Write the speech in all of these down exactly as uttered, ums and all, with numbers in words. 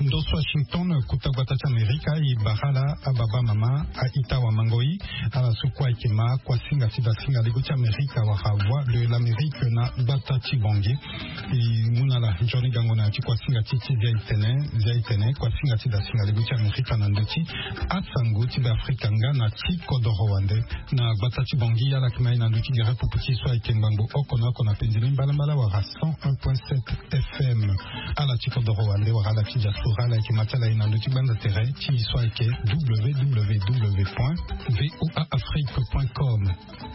Ndo so Washington, kota gbata ti Amerika, e bara ala ababa mama, a-ita, awamangoi, ala so kue ayeke ma kuasinga ti dasinga lego ti Amerika wala Voix de l'Amérique na gbata ti Bangui. E mu na ala nzoni gango na ya ti kuasinga ti e ti Zia Itene, Zia Itene, kuasinga ti dasinga lego ti Amerika na ndö ti asango ti Beafrika nga na ti kodoro wande. Na gbata ti Bangui, ala yeke ma e na ndö ti gere pupu ti e so ayeke ngbangbo oko na oko na pendeli mbalambala wala cent un point sept F M. Ala ti kodoro wande wala ala ti diaspora, ala yeke ma ti ala e na ndö ti gbanda tere ti e so ayeke W W W point V O A Afrique point com.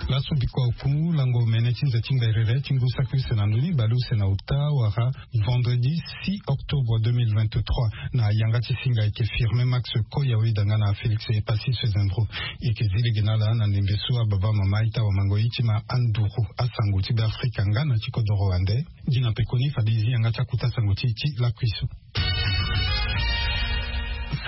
Laso bikua oku lango mene ti nze ti ngberere ti ngu saki use na ndoni bale use na ota wala vendredi six octobre deux mille vingt-trois, na yanga ti singa ayeke Firmin Max Koya, oyeda nga na Félix Epassi Sezendro. E yeke zi lege na ala na ndembe so ababa mama, a-ita, awamangoi, ti ma anduru asango ti Beafrika nga na ti kodoro wande. Gi na pekoni fade e zi yanga ti akota sango ti e ti lakui so.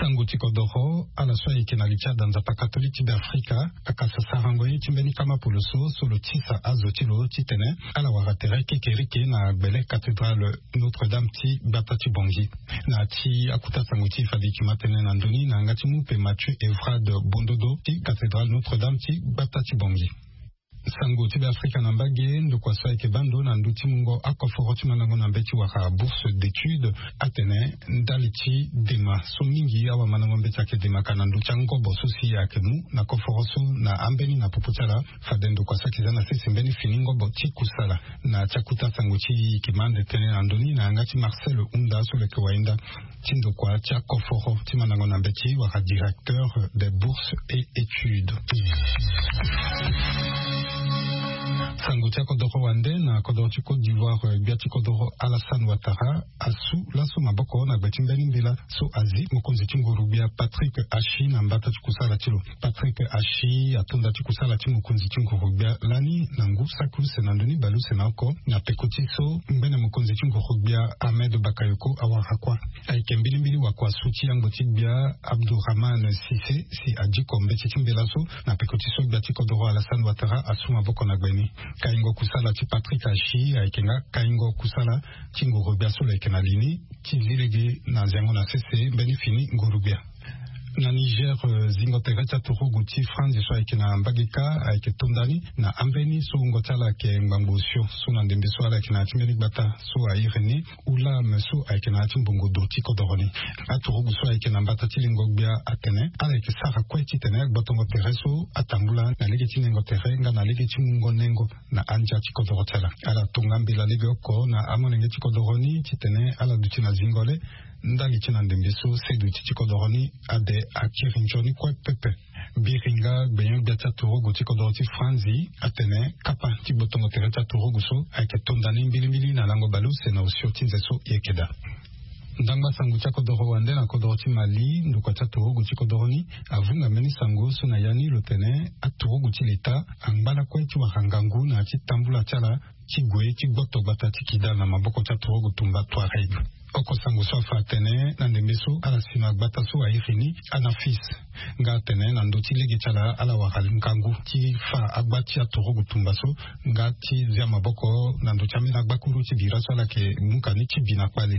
Sango ti kodoro, ala so ayeke na li ti ada Nzapa katolike ti Beafrika akasa sarango ye ti mbeni kama poloso so lo tisa azo ti lo titene ala wara tere kekereke na gbele cathédrale Notre-Dame ti gbata ti Bangui. Na ya ti akota sango ti e fade e yeke ma tënë na ndoni na yanga ti mu mpe Mathieu Evrard Bondodo ti cathédrale Notre-Dame ti gbata ti Bangui. Sango ti Beafrika na mbage, ndokua so ayeke baa ndo na ndö ti mungo akoforo ti mandango na mbeti wala bourse d'étude, atene ndali ti dema so mingi awamandango mbeti ayeke demaka na ndö ti angobo so si ayeke mu na koforo so na ambeni na popo ti ala, fade ndokua so ayeke za na sese mbeni fini ngobo ti kusala. Na ya ti akota sango ti e, e yeke ma ande tënë na ndoni na yanga ti Marcel Hunda so lo yeke wayenda ti ndokua ti akoforo ti mandango na mbeti wala directeur des bourses et études. Sango ti akodoro wande na kodoro ti Côte d'Ivoire, gbia ti kodoro Alassane Ouattara asu laso maboko na gbe ti mbeni mbela so azi mokonzi ti nguru-gbia Patrick Achi na mbata ti kusala ti lo. Patrick Achi atonda ti kusala ti mokonzi ti nguru-gbia lani na ngu saki use na ndoni bale use na oko na peko ti so ngbene mokonzi ti nguru-gbia Ahmed Bakayoko awara kuâ. Ayeke mbilimbili wakuasu ti yangbo ti gbia Abdourahmane Cissé si adiko mbeti ti mbela so na peko ti so gbia ti kodoro Alassane Ouattara asu maboko na gbe ni. Kaingo kusala ti Patrick Achi ayeke nga kaingo kusala ti nguru-gbia so lo yeke na li ni ti zi lege na ziango na sese mbeni fini nguru-gbia. Na Niger, eh, zingo tere ti aturugu ti Franzi so ayeke na mbage kâ ayeke to ndani na ambeni so wungo ti ala ayeke ngbangbo osio so na ndembe so ala yeke na ya ti mbeni gbata so a iri ni Oulam so ayeke na ya ti mbongo do ti kodoro ni. Aturugu so ayeke na mbata ti lingo gbia atene ala yeke sara kue titene agbotongo tere so atambula na lege ti nengo tere nga na lege ti mungo nengo na andia ti kodoro ti ala. Ala tonga mbela lege oko na amolenge ti kodoro ni titene ala duti na zingo le ndali ti na ndembe so seduti ti kodoro ni ade akiri nzoni kue pepe. Biringa gbenyo-gbia ti aturugu ti kodoro ti Franzi atene kapa ti gbotongo tere ti aturugu so ayeke to ndani mbilimbili na lango baleuse na osio ti nze so e yeke daa. Ndangba sango ti akodoro wande na kodoro ti Mali, ndokua ti aturugu ti kodoro ni avunga mbeni sango so na ya ni lo tene aturugu ti leta angba lakue ti wara ngangu na ya ti tambula ti ala ti gue ti gboto gbata ti Kidal na maboko ti aturugu tumba Touareg. Oko sango so afa atene na ndembe so ala si na gbata so a iri ni Anafis, nga atene na ndö ti lege ti ala ala wara ngangu ti fa agba ti aturugu tumba so nga ti zia maboko na ndö ti ambeni agbakuru ti bira so ala yeke muka ni ti bi na kpale.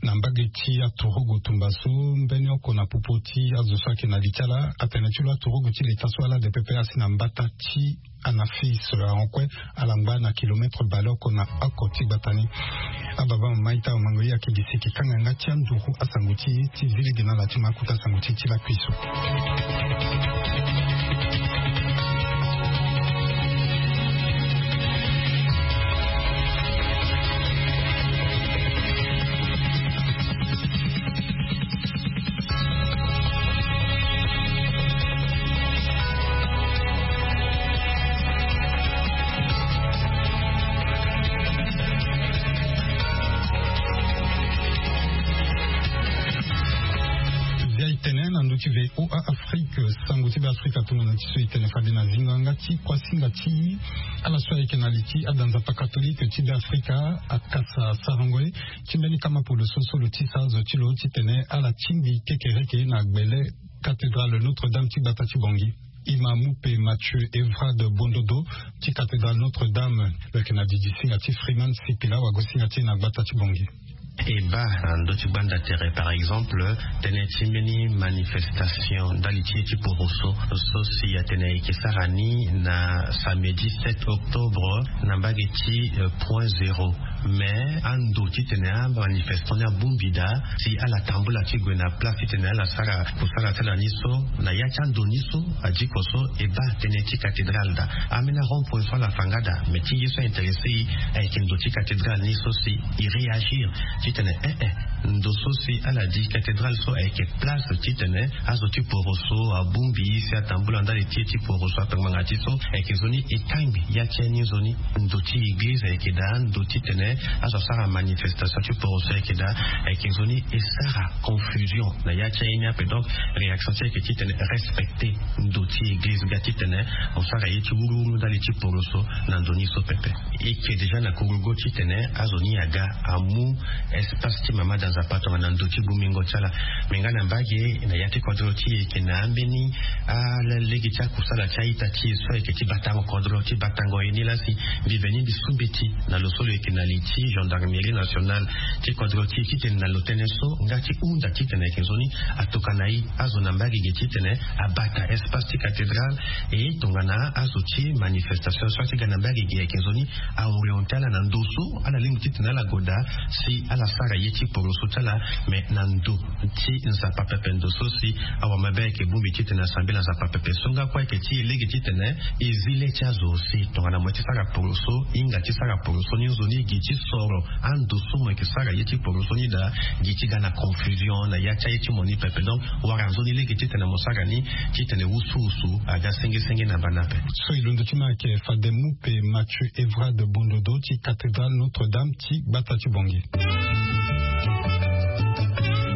Na mbage ti aturugu tumba so, mbeni oko na popo ti azo so ayeke na li ti ala atene ti lo aturugu ti leta so ala de pepe asi na mbata ti Anafis ahon kue ala ngba na kilometre baleoko na oko ti gbata ni. Ababa mama ita mango ye ayeke gi siki kanga yanga ti anduru asango ti e ti zi lege na ala ti ma kota sango ti e ti lakui so. Zia e tene na ndö ti V O A Afrique, sango ti Beafrika tongana ti so e tene fade na zingo yanga ti kuasinga ti ala so ayeke na li ti ada Nzapa katolike ti Beafrika akasa sarango ye ti mbeni kama polo so so lo tisa azo ti lo titene ala tingbi kekereke na gbele cathédrale Notre-Dame ti gbata ti Bangui. Imamu pe Mathieu Evrade Bondodo ti cathédrale Notre-Dame, lo yeke na didi singa ti Freeman Sipila, wago singa ti e na gbata ti Bongi. E baa na ndö ti gbanda tere, par exemple, tënë ti mbeni manifestation ndali ti ye ti poroso so si atene e yeke sara ni na samedi sept octobre na mbage ti point zéro. Mais ando titene amanifestant ni abongbi daa si ala tambula ti gue na place titene ala sara kusala ti ala ni so, na ya ti ando ni so adiko so e baa tënë ti cathédrale daa. Ambeni arond point so ala fa nga daa, mais ti ye so aintéressé e ayeke ndo ti cathédrale ni so si e réagir titene eh eh ndo so si ala di cathédrale so ayeke place titene azo ti poroso abongbi si atambula ndali ti ye ti poroso apengbanga ti so ayeke nzoni e kangbi ya ti ye ni nzoni. Ndo ti église ayeke daa ndo titene azo asara manifestation ti poroso ayeke daa ayeke nzoni e sara confusion na ya ti aye ni ape. Donc réaction ti ayeke titene respecter ndo ti église nga titene mo sara ye ti wuruwuru ndali ti poroso na ndo ni so pepe. E yeke déjà na kurugo titene azo ni aga amu espace ti mama da nzapa tongana ndo ti bongbingo ti ala. Me nga na mbage na ya ti kodro ti e yeke na ambeni alege ti akusala ti a-ita ti e so ayeke ti batango kodro ti batango ye ni laa si mbi veni mbi su mbeti na lo so lo yeke na li ti gendarmerie nationale ti kodro ti e titene na lo tënë so nga ti hunda titene ayeke nzoni atokana e azo na mbage ge titene abata espace ti cathédrale. E tongana azo ti manifestation so ati ga na mbage ge ayeke nzoni aorienté ala na ndo so ala lingbi titene ala gue daa si ala sara ye ti poroso ti ala. Mais na ndo ti nzapa pepe ndo so si awamabe ayeke bongbi titene asambela nzapa pepe so nga kue ayeke ti e lege titene e zi le ti azo aussi tongana mo ye ti sara poroso, hinga ti sara poroso ni nzoni gi ti soro ando so mo yeke sara ye ti poroso ni daa gi ti ga na confusion na ya ti aye ti mo ni pepe. Donc wara nzoni lege titene mo sara ni titene wusuwusu aga sengesenge na bana ape. So e londo ti ma ayeke fade mu pe Mathieu Evrade Bondodo ti cathédrale Notre-Dame ti gbata ti Bongi.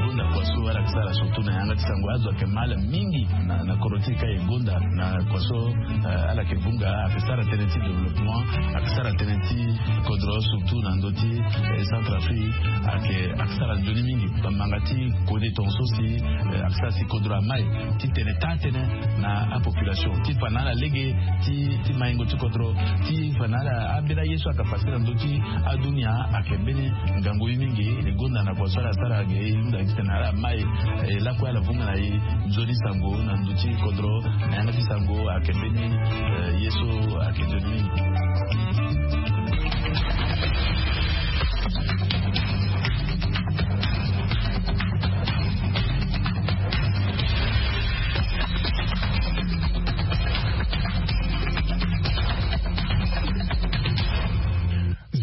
Gonda kua so ala yeke sara surtout na yanga ti sango azo ayeke mal mingi na, na kodro ti e ka e gonda na kua so, eh, ala yeke vunga ayeke sara tënë ti développement, ayeke sara tënë ti kodro surtout na ndö ti, eh, Centrafrique ayeke, ayeke sara nzoni mingi. Bamanga ti kode tongaso si, eh, ayeke sara si kodro amai titene taa tënë na apopulation ti fa na ala lege ti, ti maingo ti kodro ti fa na ala ambeni aye so ayeke pase na ndö ti adunia ayeke mbeni ngangu ye mingi. E gonda na kua so ala sara ge e hunda titene ala mai, eh, lakue ala vunga na e nzoni sango na ndö ti kodro na yanga ti sango ayeke mbeni, eh, ye so ayeke nzoni mingi.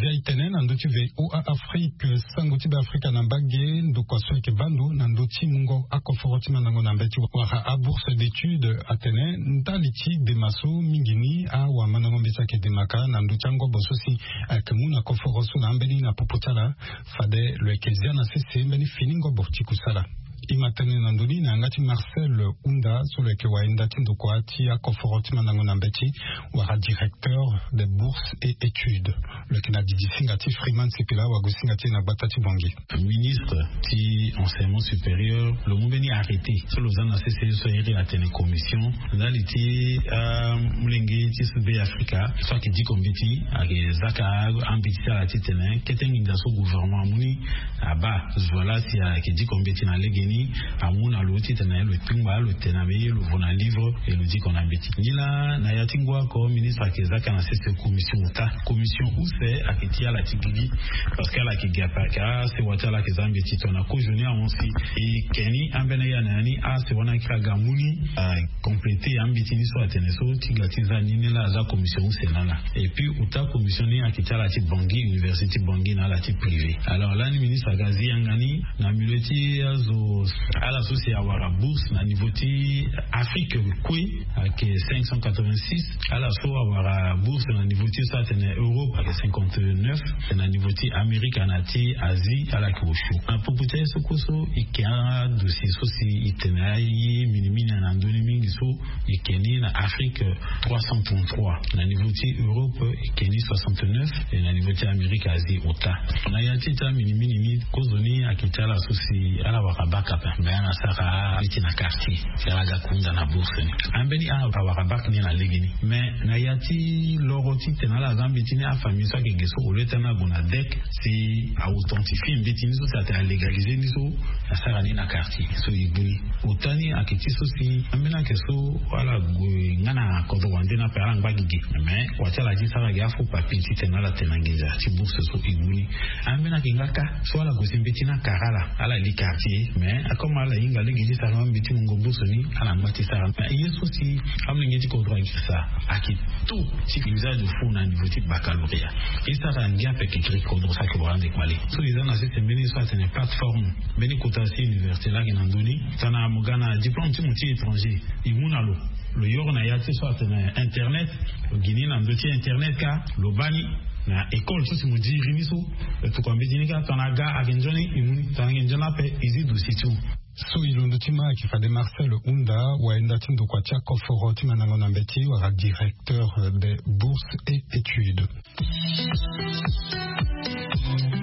Zia e tene na ndö ti V O A Afrique, sango ti Beafrika na mbage, ndokua so ayeke baa ndo na ndö ti mungo akoforo ti mandango na mbeti wala abourse d'étude atene ndali ti dema so mingi ni awamandango mbeti ayeke demaka na ndö ti angobo so si ayeke mu na koforo so na ambeni na popo ti ala. Fade lo yeke zia na sese mbeni fini ngobo ti kusala. E ma tene na ndö ni na yanga ti Marcel Hunda so lo yeke wayenda ti ndokua ti akoforo ti mandango na mbeti wala directeur des bourses et études. Lo yeke na didi singa ti Freeman Sipila wago singa ti e na gbata ti Bongi. Ministre ti enseignement supérieur lo mu mbeni arrêté so lo za na sese so iri atene commission ndali ti, ah, molenge ti sud Beafrika so ayeke diko mbeti ayeke zaka ambeti ti ala titene kete nginza so gouvernement amu ni abaa zo laa si ayeke diko mbeti na legeni amu na lo titene lo kpingba lo tene na mbeni lo vo na livre e lo diko na mbeti. Nilaa na ya ti ngu oko ministre ayeke zaka na sese commission ota. Commission use ayeke ti ala ti gigi parce que ala yeke gi ape ayeke asewa ti ala ayeke za mbeti tongana kozoni ahon si e ke ni ambeni aye na ya ni asewa ni ayeke aga amu ni, ah, compléter ambeti ni so atene so ti ga ti za ni ni laa aza commission use na ala. Et puis ota commission ni ayeke ti ala ti Bangui, université ti Bangui na ala ti privé. Alors lani ministre aga azi yanga ni na milieu ti azo ala so si awara bourse na niveau ti Afrique kue ayeke cinq cent quatre-vingt-six. Ala so awara bourse na niveau ti so atene Europe ayeke cinquante-neuf. Na niveau ti Amérique na ti Asie ala yeke osio. Na popo ti aye so kue so e ke adossier so si e tene aye minimini na ndö ni mingi so e ke ni na Afrique trois cent trente-trois, na niveau ti Europe e ke ni soixante-neuf, et na niveau ti Amérique Asie ota. Na ya ti ita minimini ni kozoni ayeke ti ala so si ala wara bac Ape me ala sara mbeti na quartier. Si ala ga kunda na bourse ni, ambeni ala awara bak ni na lege ni. Mais na ya ti loro titene ala ga mbeti ni, afamille so ayeke ge so au lieu ti ala gue na dec, si a authentifie mbeti ni so, si atene alégaliser ni so, asara ni na quartier so e gue ni. Ota ni ayeke ti so si ambeni ayeke so ala gue nga na kodro wande ni ape, ala ngba gi ge. Mais kua ti ala ti sara gi afaux papier titene ala tene na nginza ti bourse so e gue ni. Ambeni ayeke nga kâ so ala gue si mbeti ni akara ala, ala li quartier. Mais comme ala hinga lege ti sara mbeti mungo bourse ni, ala ngba ti sara. Mais ye so si amolenge ti kodro ayeke sara ayeke taux ti usage de faux na niveau ti baccalauréat. E sara ngia ape, ayeke gri kodro so ayeke wara ande kpale. So e za na sese mbeni so atene plateforme, mbeni kota si université laa ayeke na ndö ni. Tongana mo ga na diplôme ti mo ti étranger, e mu na lo, lo yoro na ya ti so atene internet. Lo gi ni na ndö ti internet kâ, lo baa ni na école so si mo diri ni so. Lo tokua mbeti ni kâ, tongana aga ayeke nzoni e mu ni, tongana ayeke nzoni ape e zi dossier ti mo. So e londo ti ma ayeke fade Marcel Hunda, wayenda ti ndokua ti akoforo ti mandango na mbeti wala directeur des bourses et études.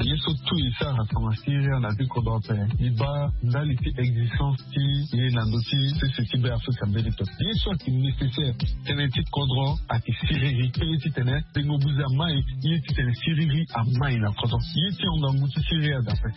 Ye so tout e sara tongana siriri na ti kodro ape, e baa ndali ti existence ti ye na ndö ti sese ti Be Afrika mbeni pepe. Ye so ayeke nécessaire, tënë ti kodro ayeke siriri. Ye titene tengo buze amai, ye titene siriri amai na kodro. Ye ti hon ngangu ti siriri adape.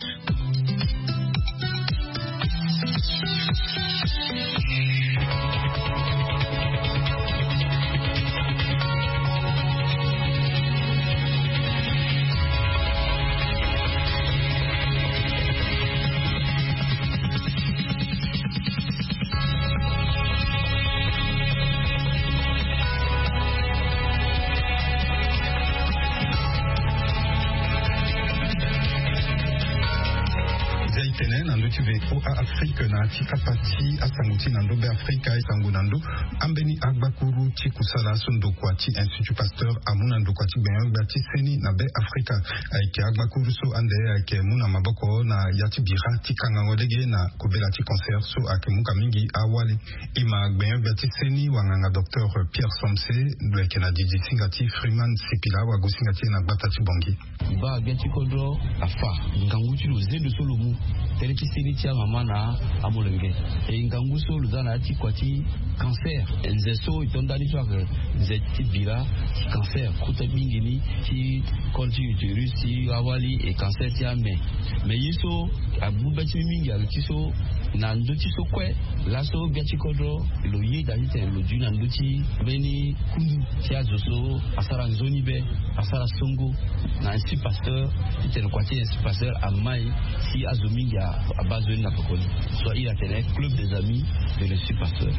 Nzia e tene na ndö ti V O A Afrique na ya ti kapa ti asango ti na ndö Be Afrika, e sango na ndö ambeni agbakuru ti kusala so ndokua ti Institut Pasteur amu na ndokua ti gbenyo-gbia ti seni na Be Afrika. Ayeke agbakuru so ande ayeke mu na maboko na ya ti bira ti kangango lege na kobela ti cancer so ayeke mu ka mingi awali. E ma gbenyo-gbia ti seni wanganga docteur Pierre Somse, lo yeke na didi singa ti Freeman Sipila, wagosinga ti e na gbata ti Bangui. E baa gbia ti kodro afa ngangu ti lo zendo so lo mu tënë ti seni ti amama na amolenge. E ngangu so lo za na ya ti kua ti cancer, nze so e to ndani so ayeke nze ti bira ti cancer, kota mingi ni ti col ti utérus, ti awali, e cancer ti ame. Me ye so amu be ti mbi mingi ayeke ti so, na ndö ti so kue laso gbia ti kodro lo yeda titene lo dui na ndö ti mbeni kundu ti azo so asara nzoni be, asara songo na Institut Pasteur, titene kua ti Institut Pasteur amai si azo mingi a- abaa nzoni na pekoni. So a iri atene Club des Amis de l'Institut Pasteur.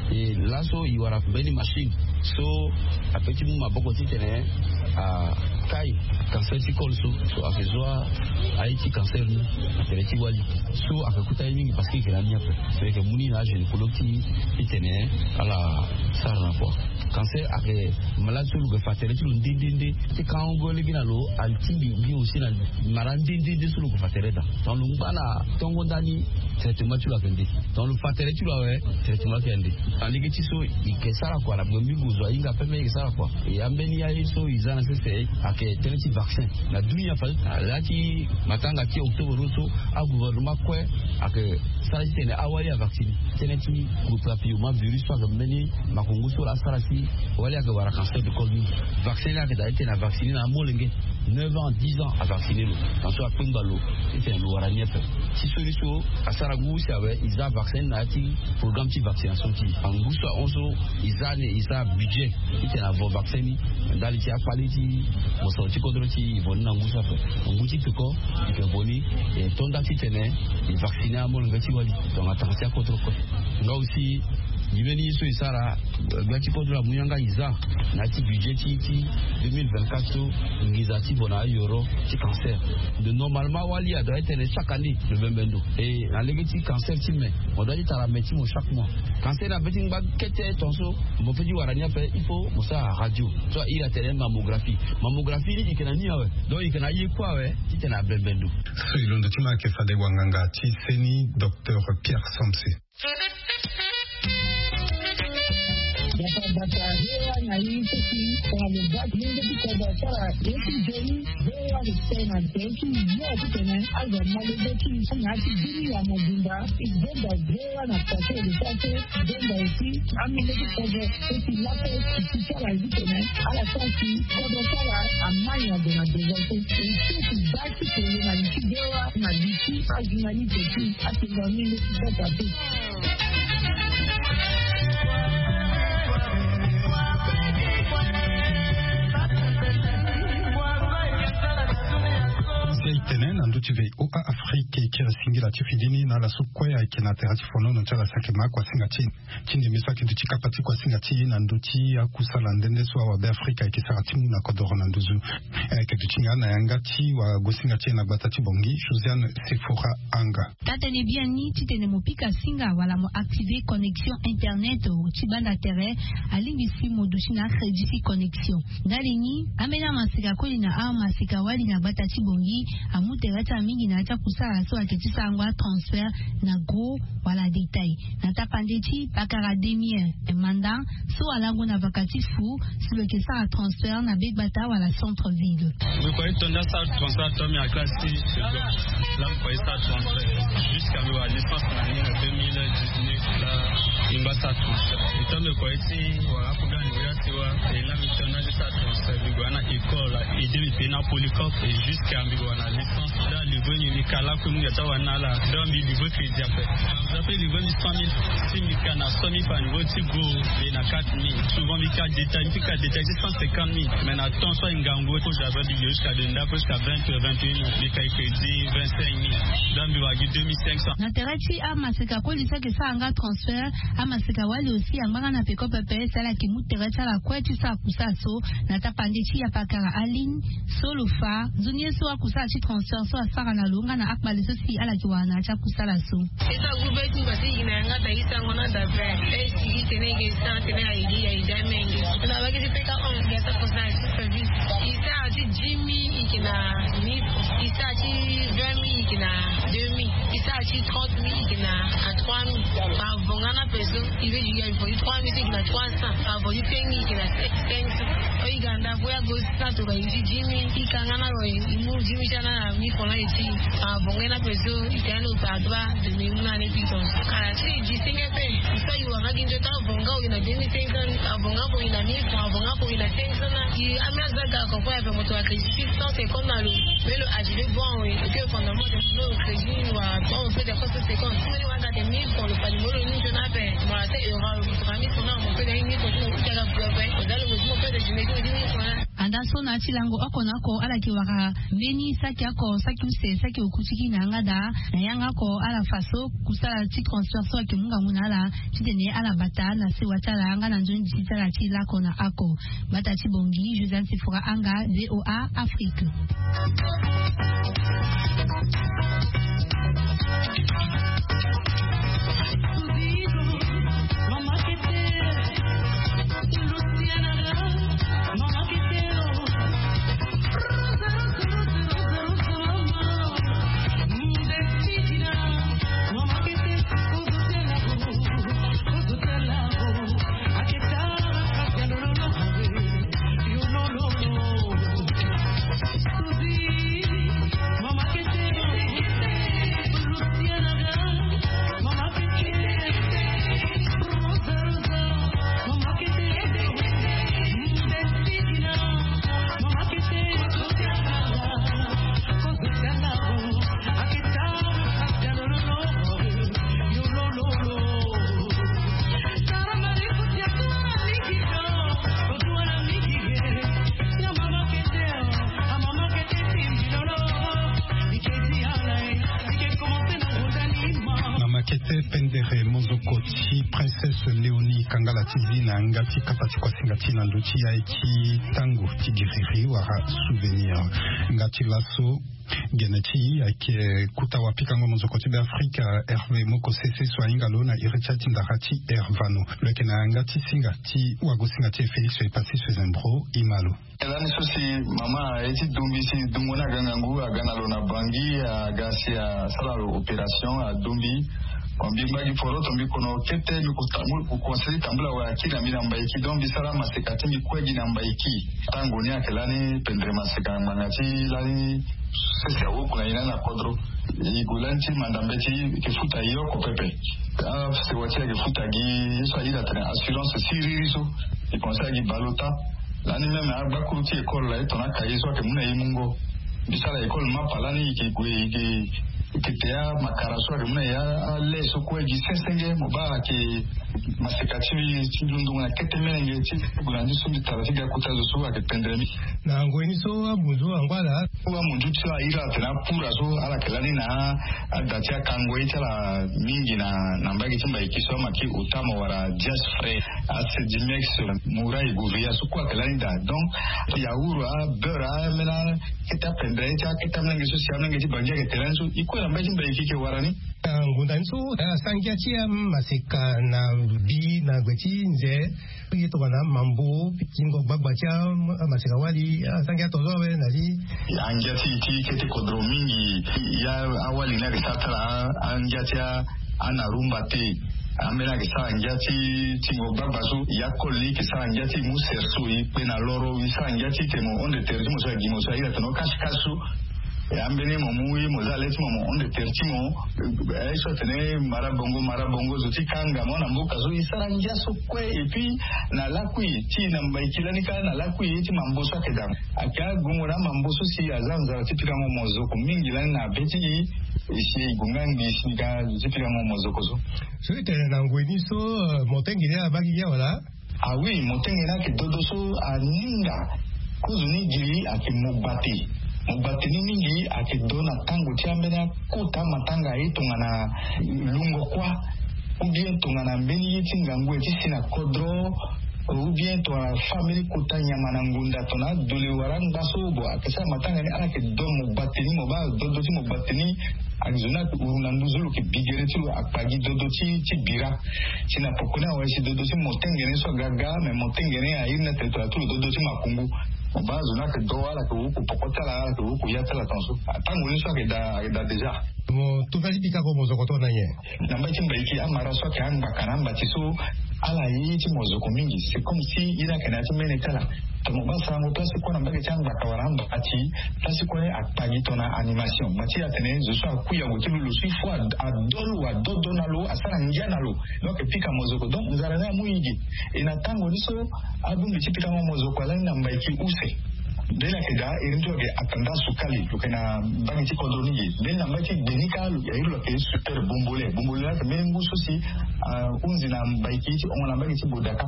E laso e wara mbeni machine so ape ti mu maboko titene akai cancer ti col so, so ayeke zo aye ti cancer ni na tere ti wali. So ayeke kota ye mingi parce que e yeke na ni ape. So e yeke mu ni na agynécologue ti e titene ala sara na kua. Cancer ayeke malade so lo yeke fa tere ti lo nde nde nde. Ti kango lege na lo, atingbi mbi aussi na mara nde nde nde so lo yeke fa tere daa. Donc lo ngba na tongo ndani traitement ti lo ayeke nde. Donc lo fa tere ti lo awe, traitement ti lo ayeke nde. Na lege ti so e yeke sara kua na gbe mbingo zo ahinga pepe e yeke sara kua. E ambeni aye so e za na sese ayeke tënë ti vaccin. Na dunia fa na la ti matanga ti octobre so agouvernement kue ayeke sara titene awali avaccine. Tënë ti papillomavirus so ayeke mbeni makongo so lo asara si wali ayeke wara cancer de col mingi. Vaccin ni ayeke daa titene avaccine na amolenge neuf ans, dix ans avaccine lo. Na so akpengba lo titene lo wara ni ape. Ti so ni so asara ngu si awe e za vaccin ni na ya ti programme ti vaccination ti e. Angu so ahon so e za ni, e za budget titene avo vaccin ni ndali ti akpale ti mosoro ti kodro ti e, vo ni na ngu so ape. Ngu ti peko e yeke vo ni, e to nda titene e vaccine amolenge ti wali tongana tanga ti akodro kue. Nga aussi e mbeni ye so e sara gbia ti kodro amu yanga e za na ya ti budget ti, ti deux mille vingt-quatre so, nginza ti vo na ayoro ti cancer. Donc normalement wali adoit tene chaque année lo bembe ndo. E na lege ti cancer ti me, mo doit ti tara me ti mo chaque mois. Cancer na be ti ngba kete tongaso mo peut ti wara ni ape, il faut mo sara radio. So a iri atene mammographie. Mammographie ni e yeke na ni awe. Donc e yeke na aye kue awe titene abembe ndo. So e londo ti ma ayeke fade wanganga ti seni, docteur Pierre Somse. Bata bata hewa na ye ti si tongana lo baa ti lenge ti kodro asara ye ti nzoni. Hewa lo tene na tene ti yo ti tene azo malege ti na ya ti biri ya mobimba. E benda hewa na pase lo sara so benda esi amenge ti kodro esi lape ti sara ye ti tene ala sara si kodro sara amai na gue na devance. E so ti baa ti kele na li ti hewa na li ti ajournaliste ti atenga menge ti sasa te. Si aye tene na ndö ti voa afrique e kiri singila ti fidini na ala so kue ayeke na tere ti fonono ti ala saki ma akuasinga ti e ti ndembe so ayeke duti kapa ti kuasinga ti e na ndö ti akusala nde nde so awabe afrika ayeke sara ti mu na kodoro na nduzu. Ayeke duti nga na yanga ti wagosinga ti e na gbata ti bongi josiane sefora anga. Tatene biani titene mo pika singa wala mo activer connexion internet ti banda tere. Alingbi si mo duti na crédit ti connexion. Ndali ni ambeni amaseka koli na amaseka wali na gbata ti bongi amu tere ti amingi na ya ti akusala so ayeke ti sarango atransfert na gros wala détail na tapande ti pakara demi heure. Manda so alango na vaka ti fu si lo yeke sara transfert na begbata wala centre ville. Mbi kue ti tonda sara transfert to mbi na classe ti seconde. La mbi kue ti sara transfert jusqu'à mbi wara licence na ni na deux mille dix-neuf. La mbi ngba sara transfert e to mbi kue ti wara aprogramme ni ya ti wa. E la mbi tonda ti sara transfert mbi gue na école. Ede mbi pe na polycope e jusqu'à mbi gue wara na licence. Donc livre ni mbi ka lakue mbi ga ti awara na ala. Donc mbi livre crédit ape. Mbi ape livre mbi cent mille. Si mbi ka na cent mille par niveau ti go mbi na quatre mille. Souvent mbi ka détail mbi ka détail ti cent cinquante mille. Mais na temps so aye ngangu ko java mbi yo jusqu'à de ndako jusqu'à vingt heures vingt et une heures mbi ka ye crédit vingt-cinq mille. Donc mbi wara gi deux mille cinq cents. Na tere ti amaseka koli so ayeke sara nga transfert amaseka wali aussi angba nga na peko pepe si ala yeke mu tere ti ala kue ti sara kusala so na tapande ti apakara aligne. So lo fa nzoni ye so akusala ti transfert so asara na lo nga na akpale so si ala yeke wara na ya ti akusala so. Esa gube ti mbasi yina yanga ta isa ngona da pe. Esi gi tene ge sa tene ayi gi ayi da menge. Na wagi ti peka on ge sa kusala ti service. Isa ti dix mille ike na mille francs. Isa ti vingt mille ike na deux mille. Isa ti trente mille ike na trois mille. Ba vonga na peso. Ibe di ya ibo trois mille ike na trois cents. Ba vo di pengi ike na cinq cents. O iga nda vo ya go sa to ba isi dix mille. Ikanga na ro imu dix mille sana na mille francs na isi. Ba vonga na peso. Ike na lo ba ba de me mu na ne piton. Kala ti di singa pe. Isa iwa ma gi njo ta vonga o ina deux mille cinq cents. Ba vonga ko ina mille francs. Ba vonga ko ina cinq cents na. I amia zaga ko ko ya pe moto a crédit six cents secondes na lo. Mais le H D bon oui. Que pendant moi de lo crédit wa bon on fait des postes secondes. Mais wa ga de mille francs le pali mo lo ni je na pe. Mo la te euro mo ka mille francs na mo pe de mille francs na ka pe. Mo da lo mo pe de je me dis mille francs. Anda so na ti lango oko na oko ala yeke wara mbeni saki oko saki use saki oku ti gi na yanga daa. Na yanga oko ala fa so kusala ti transfert so ayeke mu ngangu na ala titene ala bata na sewa ti ala nga na nzoni ti ti ala ti lako na ako. Gbata ti bongi josiane sefora anga voa afrique. Mama kete pendere mozoko ti princesse léonie kangala ti zi na yanga ti kapa ti kuasinga ti na ndö ti ya ye ti tango ti giriri wala souvenir. Nga ti laso gene ti ayeke kuta wapikango mozoko ti be afrika herve moko sese so ahinga lo na iri ti ya ti ndara ti hervano lo yeke na yanga ti singa ti wagosinga ti e félix e pasi so ezembro ima lo. Lani so si mama aye ti dumbi si dungo ni aga ngangu aga na lo na bangi aga si asara lo opération adumbi. Mbi ngba gi poroto mbi kono kete mbi kota mbi kukonsili tambula wa akiri na mbi na mbaiki donc mbi sara maseka ti mbi kue gi na mbaiki. Tango ni ayeke lani pendre maseka ngbanga ti lani sese awuku na ye lani na kodro. E gue lani ti manda mbeti e yeke futa e oko pepe. Asewa ti e ayeke futa gi ye so aye na tene assurance siriri so. E pense agi bale ota. Lani même agbakuru ti école la ye tongana akaye so ayeke mu na ye mungo. Mbi sara école mapa lani e yeke gue e yeke e yeke te amakara so ayeke mu na ye ale so kue gi sesenge mo baa ayeke maseka ti mbi ti ndungu na kete melenge ti gue na ndi so mbi tara ti ga kota zo so ayeke pendre mbi. Na ngoi ni so amunzu ango ala. Amunzu ti so airi ala tene apura so ala yeke lani na ada ti akango ye ti ala mingi na na mbage ti mbaiki so ama ki otamo wala dias frais. Asedimex mura e gouvea so kue ayeke lani daa donc yaour abeurre amena kete apendre ye ti akete amlenge so si amlenge ti bangi ayeke te lani so e kue na mbage ti mbaiki e ke wara ni. Ngunda ni so asara ngia ti amaseka na bi na gue ti nze. Ye tongana mambo tingo gbagba ti amaseka wali asara ngia tongaso awe na li. Angia ti ti kete kodro mingi. Ya awali ni ayeke sara ti ala angia ti anarumba te. Ambeni ayeke sara ngia ti tingo gbagba so ya koli ni yeke sara ngia ti mu serso e kpe na loro e sara ngia ti tene mo honde tere ti mo so agi mo so aye atene o kasi kasi so. E ambeni mo mu ye mo za le ti mo mo honde tere ti mo. Aye so atene mara bongo mara bongo zo ti kanga mo na mboka so e sara ngia so kue et puis na lakui ti na mbaiki lani kâ na lakui ye ti mambo so ayeke daa. Ayeke agongo na amambo so si aza nzara ti pikango mozoko mingi lani na be ti e. E si e gue nga ngbii si ni ka zo ti pikango mozoko so. So e tene na ngoi ni so motenge ni abaa gi ya wala? Ah oui, motenge ni ayeke dodo so aninga. Kozo ni giri ayeke mogbate. Mogbate ni mingi ayeke do na tango ti ambeni akota matanga aye tongana lungo kuâ. Ou bien tongana mbeni ye ti ngangu aye ti si na kodro. Ou bien tongana fâ mbeni kota nyama na ngonda tongana adole wala angba so bon ayeke sara matanga ni ala yeke do mogbate ni mo baa dodo ti mogbate ni. Ayeke zo ni ayeke huru na nduzu lo yeke bigere ti lo akpa gi dodo ti ti bira. Si na poko ni awe si dodo ti motengene so aga ga mais motengene airi ni atene tongana ti lo dodo ti makungu. Mo baa zo ni ayeke do ala yeke wuku poko ti ala ala yeke wuku ya ti ala tongaso. Atango ni so ayeke daa ayeke daa déjà. Mo tongana ti pikango mozoko tongana nyen? Na mbage ti mbaiki amara so ayeke angbaka na ambati so ala ye ye ti mozoko mingi c'est comme si ye ni ayeke na ya ti mene ti ala. Tongana mo baa sarango place ti kue na mbage ti angbaka wala ambati place ti kue akpa gi tongana animation ma ti atene zo so akui yango ti lo lo so il faut ado lo adodo na lo asara ngia na lo. Donc pika mozoko donc nzara ni amu yigi. E na tango ni so abongbi ti pikango mozoko alani na mbaiki use. Mbeni ayeke daa iri ni so ayeke atanda sukali lo yeke na mbage ti kodro ni ge mbeni na mbage ti gbe ni kâ lo ya iri lo yeke super bombole bombole ni ayeke mbeni ngu so si ahunzi na mbaiki ti hongo na mbage ti bodaka.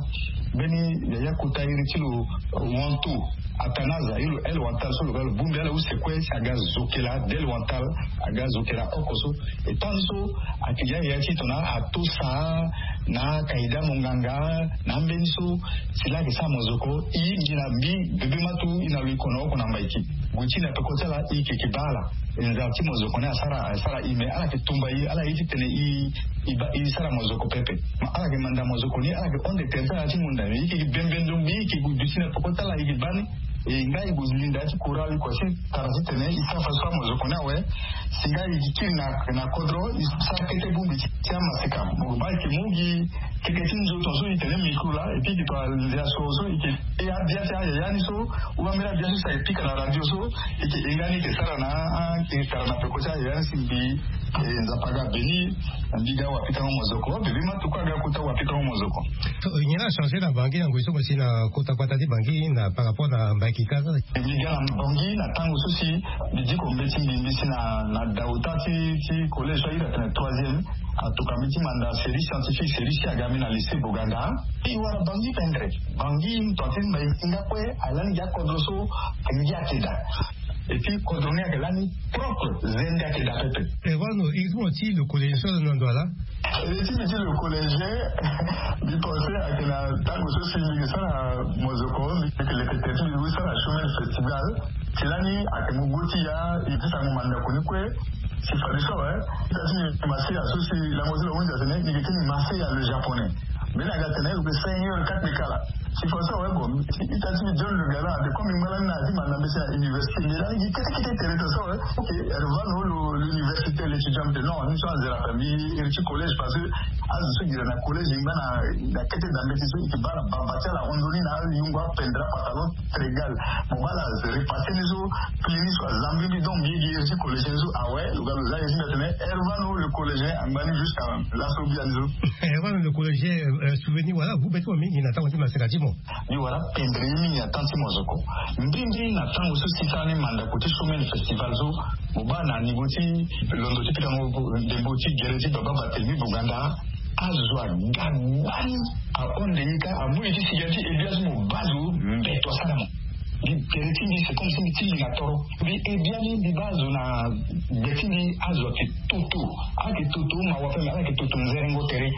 Mbeni yaya kota iri ti lo wanto atanaza iri lo el wantal so lo ga lo bongbi ala use kue si aga zokela del wantal aga zokela oko so. E tant so ayeke ya yaya ti tongana atosa na akaida monganga na ambeni so si la ayeke sara mozoko e gi na mbi bebe matu e na lo e kono oko na mbaiki. Gue ti na peko ti ala e yeke yeke baa ala. E nzara ti mozoko ni asara asara e me ala yeke tumba e ala ye ti tene e e sara mozoko pepe. Ma ala yeke manda mozoko ni ala yeke honde tere ti ala ti ngonda me e yeke bembe ndongbi e yeke gue duti na peko ti ala e yeke baa ni. E nga e gue linda ti kora li kua si tara ti tene e sara fa so amozoko ni awe. Si nga e kiri na na kodro e sara kete bongbi ti amaseka mo baa e yeke mu gi keke ti nzoto so e tene mikro laa et puis e yeke to anzia so so e yeke e abia ti ayaya ni so ou ambeni abia so si ayeke pika na radio so e yeke e nga ni e yeke sara na e yeke sara na peko ti ayaya ni si mbi. E nzapa aga beni. Mbi ga wapitango mozoko bebe matu kue aga kota wapitango mozoko. Nyen la achangé na bangi na ngoi so mo si na kota gbata ti bangi na par rapport na mbaiki kâ so? Mbi ga na bangi na tango so si mbi diko mbeti mbi mbi si na na dauta ti ti collège so airi atene troisième. Atuka mbi ti manda série scientifique série si aga mbi na lycée boganda. Mbi wara bangi pendre bangi mbi tonga ti mbaiki nga kue alani gi akodro so. Ngia ayeke daa. Et puis kodro ni ayeke lani propre zende ayeke daa pepe. E wano iri ti mo ti lo collège so na ndo ala? Iri ti mbi ti lo collège mbi pense ayeke na tango so si mbi yeke sara mozoko mbi yeke leke tere ti mbi wi sara chemin de festival. Ti lani ayeke mu gue ti ya e ti sango mandako ni kue. Si fadeso awe ita ti mbi maseya so si lango ti lo hunzi atene mbi yeke ti mbi maseya le japonais. Mbeni aga atene lo yeke seigneur kate kala. Ti fa so awe, bon, ita ti mi John Le Gala ate, comme ngba lani na ti manda mbeti na université, mais lani gi kete kete tere ta so awe. Ok, Hervano, lo l'université, l'étudiant, ate non, ni so azera ape mbi iri ti collège, parce que azo so gi na collège ngba na kete da mbeti so, ike baa na baba ti ala, hon ndo ni na ayungo apendra pantalon, très égal. Mo baa la repasse ni so, pli ni so azambi mbi, donc mbi gi iri ti collégien so awe. Lo ga lo za iri ti mbi atene Hervano le collégien angba ni jusqu'à laso bia ni so. Hervano le collégien, souvenir wala gu be ti mo mingi na tango ti maseka ti mo. Mbi wara pendre ye mingi na temps ti mo zo ko. Mbi mbi na tango so si sara ni mandako ti Showman Festival so, mo baa na niveau ti londo ti pikango ndembo ti gere ti baba Barthélemy Boganda. Azo aga gbani, ahon nde ni kâ, amu ye ti sigi ti ebia so mo baa zo mbeto asara mo. Mbi gere ti mbi c'est comme si mbi ti li na toro. Mbi ebia ni, mbi baa zo na gbe ti mbi, azo ake toto. Ake toto mawa ape, mais ala yeke toto nzerengo tere.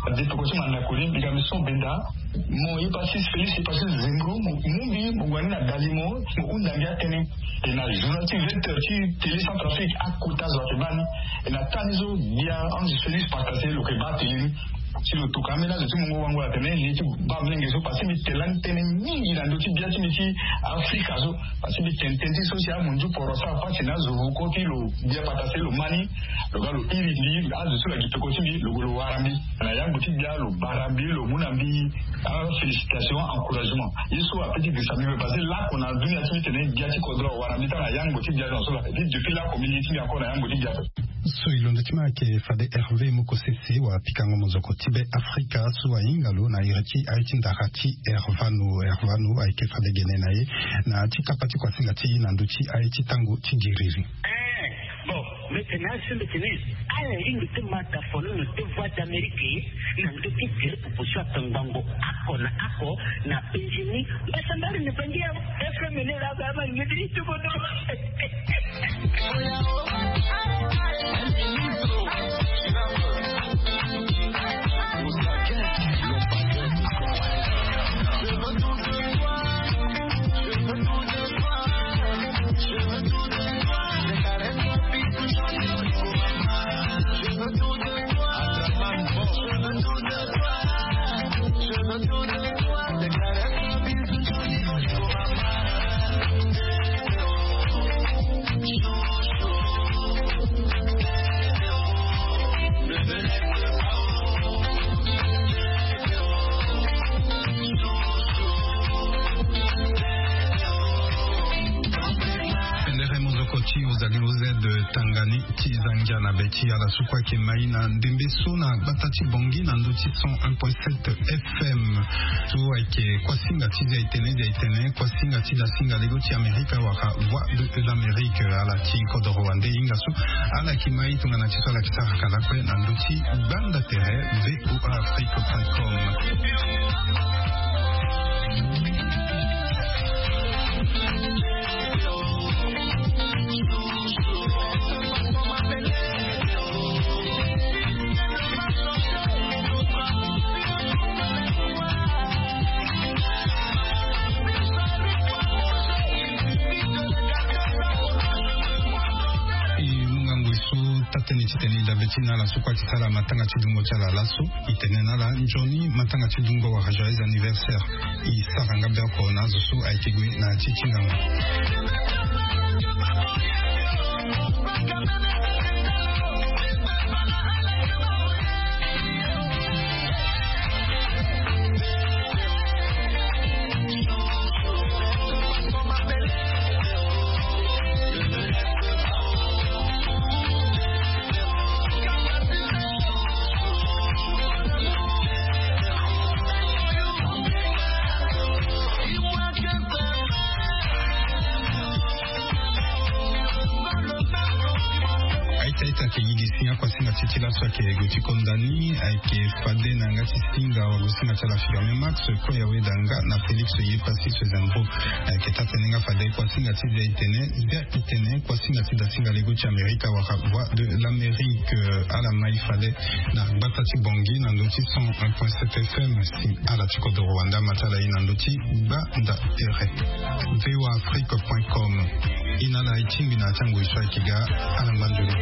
Ade toko ti mandako ni, mbi ga mbi so benda. Mo ye pasi Félix, ye pasi Zengro, mo mu mbi, mo wani na dali mo, mo hunda mbi atënë. E na journal ti vingt heures ti Télé Centrafrique akota zo ake baa ni. E na taa ni so, gbia Ange Félix Pacase lo yeke baa tënë ni. Si lo toka ambeni azo ti mungo wango atene li ti baa molenge so, parce que mbi tene lani tënë mingi na ndö ti gbia ti mbi ti Afrika so. Parce que mbi tene tënë ti so si amunzu poro asara pasi na azo vuko ti lo, gbia Pacase lo ma ni. Lo ga lo iri mbi, azo so lo yeke toko ti mbi, lo gue lo wara mbi. Na yango ti gbia lo bara mbi, lo mu na mbi afélicitation, encouragement. Ye so ape ti girisa mbi, parce que lako na dunia ti mbi tene gbia ti kodro awara mbi tara na yango ti gbia so. Ti depuis lako mbi li ti mbi encore na yango ti gbia so. So e londo ti ma ayeke fade Hervé Mokosese wa pikango mozoko ti Be Afrika so ahinga lo na iri ti aye ti ndara ti Hervano. Hervano ayeke fade gene na ye na ti kapa ti kuasinga ti e na ndö ti aye ti tango ti giriri. Eh, bon, mbi tene asi mbi tene ala hinga ti ma dafono na deux voix d'Amérique na ndö ti gere popo so atongbango oko na oko na Benjamin. Mbasambari ni bangi ya F M ni la ba ma ngedi ti bodo. Pendere mozoko ti Rosalie Rosette Tangani ti zangia na be ti ala so kue ayeke mai na ndembe so na gbata ti Bangui na ndö ti cent un point sept F M. So ayeke kuasinga ti Zia Itene, Zia Itene, kuasinga ti dasinga lego ti Amerika wala Voix de l'Amérique. Ala ti kodoro wande hinga so ala yeke mai tongana ti so ala yeke saraka lakue na ndö ti gbanda tere V O A Afrique point com. E mu ngangu e so taa-tënë titene e dabe ti na ala so kue ayeke sara matanga ti dungo ti ala laso. E tene na ala nzoni matanga ti dungo wala joyeux anniversaire. E sara nga bioko na azo so ayeke gue na ya ti ti ngangu. Aita aita ayeke yigi si akuasinga ti ti laso ayeke gue ti konda ni, ayeke fade na yanga ti singa wala singa ti ala Firmin Max, kue aweda nga na Félix Yepassis Zenvo. Ayeke taa-tënë nga fade kuasinga ti Zia Itene, Zia Itene, kuasinga ti dasinga lego ti Amerika wala Voix de l'Amérique. Ala mai fade na gbata ti Bangui na ndö ti cent un point sept F M. Si ala ti kodoro wande ama ti ala ye na ndö ti gbanda tere. V O A Afrique point com. E na ala e tingbi na ya ti angoi so ayeke ga. Ala ngba nzoni.